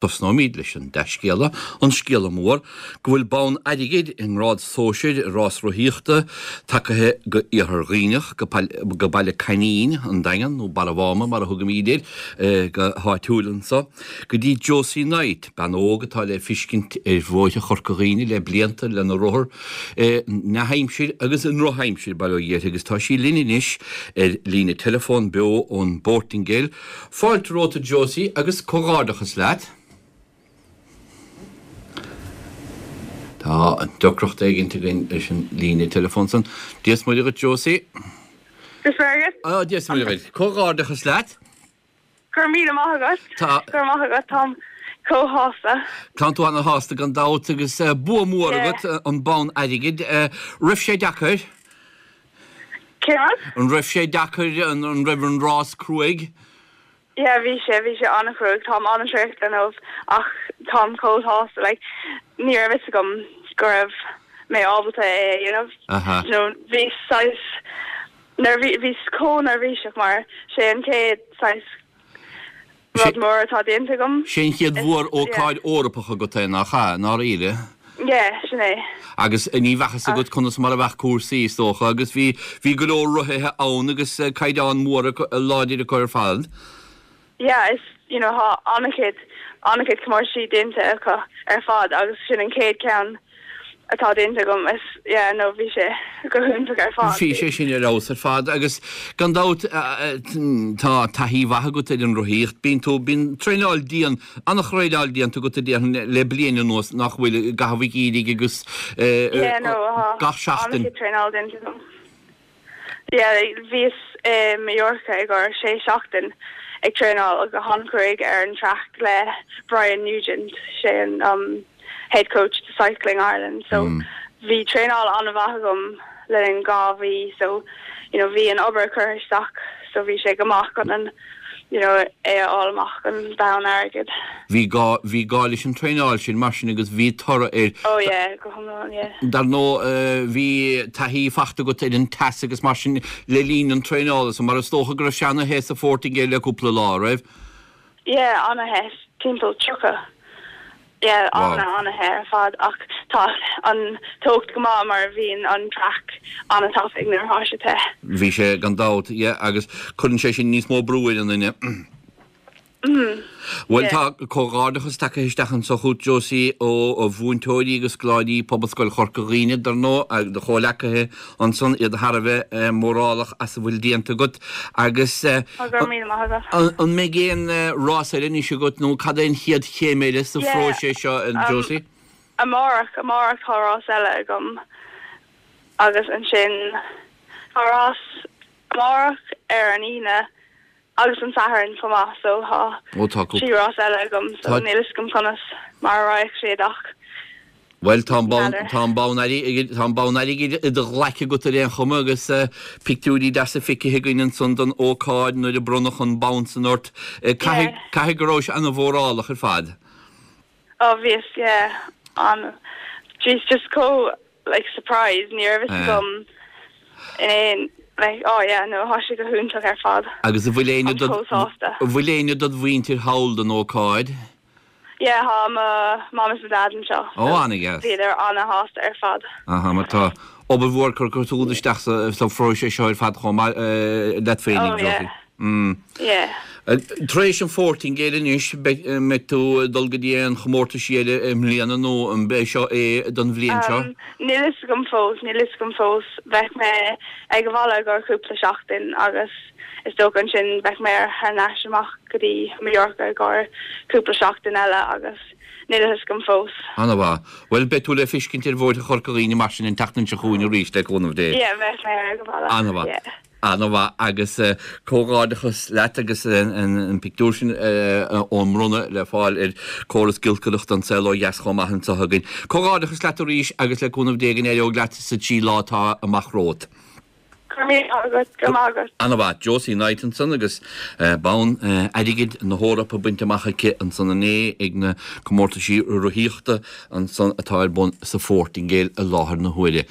Tosnóimid leis an dea-scéala, an scéala mór, go bhfuil bonn airgid i ngrád sóisir i rás rothaíochta tagaithe go Iarthar Dhuibhneach, go Baile Coinín, an Daingean, nó Barra Mháma mar a thugaimid air go háitiúil anso, go dtí Josie Knight, bean óg atá le fiscint ar bhóithre Chorca Dhuibhne le blianta lena rothar i ndea-aimsir agus i ndrochaimsir, bail ó Dhia uirthi, agus tá sí linn anois ar líne teileafóin beo ón bPortaingéil. Fáilte romhat a Josie agus comhghairdeachas leat. Tá deacracht éigint againn leis an líne teileafóin san. Dia is Muire dhuit Josie. Dia is Muire dhuit. Á, Dia is Muire dhuit. Comhghairdeachas leat. Go raibh míle maith agat. Tá. Go raibh maith agat. Táim chomh sásta. Tánn tú ana-shásta gan dabht agus bua mór agat, an bonn airgid. Raibh sé deacair? Céard? An raibh sé deacair? An raibh an rás cruaidh? Yeah, bhí sé, bhí sé an-chruaidh. Táim an-traochta inniu ach táim chomh sásta. Like, ní raibh fhios agam go raibh mé ábalta é a dhéanamh. Aha. You know, bhí saghas neirbhí, bhíos chomh neirbhíseach mar sé an chéad saghas Rud mór atá déanta agam. Sé an chéad mhór-ócáid Eorpach agat é, nach ea, i ndáiríre? Yeah, sin é. Agus ní bheadh fhios agat conas mar a bheadh cúrsaí, is dócha, agus bhí, bhí go leor rothaithe ann agus caighdeán mór láidir acu ar fad. Yeah, is, you know, tá an-chuid, an-chuid comórtaisí déanta acu ar fad agus sin an chéad ceann atá déanta agam is yeah no bhí sé go hiontach ar fad. Bhí sé sin ar fheabhas ar fad agus gan dabht tá taithí mhaith agat ar an rothaíocht. Bíonn tú, bíonn traenáil dian, an-thraenáil déanta agat a déarfainn le bliain anuas nach bhfuil, i gcaitheamh an gheimhridh agus Yeah no tá gach seachtain. an-chuid traenáil déanta agam. Yeah bhíos i Mallorca i gcomhair sé seachtain ag traenáil go han-chruaidh ar an traic le Brian Nugent, sé an um head coach do Cycling Ireland so bhí traenáil an-mhaith agam le linn 2 mhí so you know bhí an obair curtha isteach so bhí sé go maith chun an you know é a fháil amach an bonn airgid. Bhí gá, bhí gá leis an traenáil sin mar sin agus bhí toradh air. Oh yeah, go hiomlán, yeah. Dar ndóigh bhí taithí fachta agat ar an teas agus mar sin le linn an traenála so mar is dócha go raibh sé ana-the sa Phortaingéil le cúpla lá, raibh? Yeah, ana-the, timpeall 30. Yeah, Wow. ana, ana-the ar fad ach tá an teocht go maith mar bhíonn an traic ana-tapaidh nuair atá sé te. Bhí sé gan dabht, yeah, agus cuireann sé sin níos mó brú ar an duine. Mm, Bhuel yeah. tá comhghairdeachas tagtha isteach anso chugat Josie ó mhúinteoirí agus scoláirí Pobalscoil Chorca Dhuibhne dar ndóigh agus do chomhleacaithe ansan, iad thar a bheith mórálach as a bhfuil déanta agat agus Tá go raibh míle maith agat. an mbeidh aon rás eile anois agat nó cad é an chéad chéim eile sa Yeah, phróiseas seo um, Josie? amárach, amárach tá rás eile agam agus ansin tá rás amárach ar an Aoine agus an Satharn chomh maith so tá Ó tá 3 rás eile agam so Tá níl fhios agam conas mar a raghaidh siad ach Bhuel tá an bonn n'fheadar. tá an bonn airgid tá an bonn airgid i do ghlaic agat ar aon chuma agus pictiúirí deasa feicthe againn ansan don ócáid nuair a bronnadh an bonn san ort. Caithfidh Yeah. caithfidh go rabhais ana-mhórálach ar fad. Oh bhíos yeah an bhíos just chomh like surprised ní raibh fhios agam in aon like oh yeah no tá sé go hiontach ar fad. Agus an bhfuil éinne Táim chomh sásta. an bhfuil éinne dod mhuintir thall don ócáid? Yeah tá mo mom is mo dad anseo Ó so ana-dheas. bhíodar ana-shásta ar fad. Aha mar tá obair mhór curtha agat isteach sa sa phróiseas seo ar fad chomh maith leat féinig Oh yeah. Josie. Mm. Yeah. Tar éis an Phortaingéil anois, an mbeidh tú ag dul go dtí aon chomórtaisí eile i mbliana nó an é seo é don bhliain seo? Níl fhios agam fós, níl fhios agam fós. Bheadh mé ag an bhaile i gcomhair cúpla seachtain agus is dócha ansin bheadh mé thar n-ais amach go dtí Mallorca i gcomhair cúpla seachtain eile agus níl fhios agam fós. Ana-mhaith. Bhuel, beidh tú le feiscint ar bhóithre Chorca Dhuibhne mar sin an tseachtain seo chugainn arís, le cúnamh Dé. Yeah, bheadh mé ag an bhaile. Ana-mhaith. Yeah. Ana-mhaith agus comhghairdeachas leat agus an pictiúr sin ón mbronnadh le fáil ar córas giolcaireachta An Saol Ó Dheas chomh maith anseo againn. Comhghairdeachas leat arís agus le cúnamh Dé go n-éireoidh leat sa trí lá atá amach romhat. Go raibh míle maith agat, go raibh maith agat. Ana-mhaith. Josie Knight ansan agus bonn airgid na hEorpa bainte amach aici ansan inné ag na comórtaisí rothaíochta ansan atá ar bun sa Phortaingéil i láthair na huaire.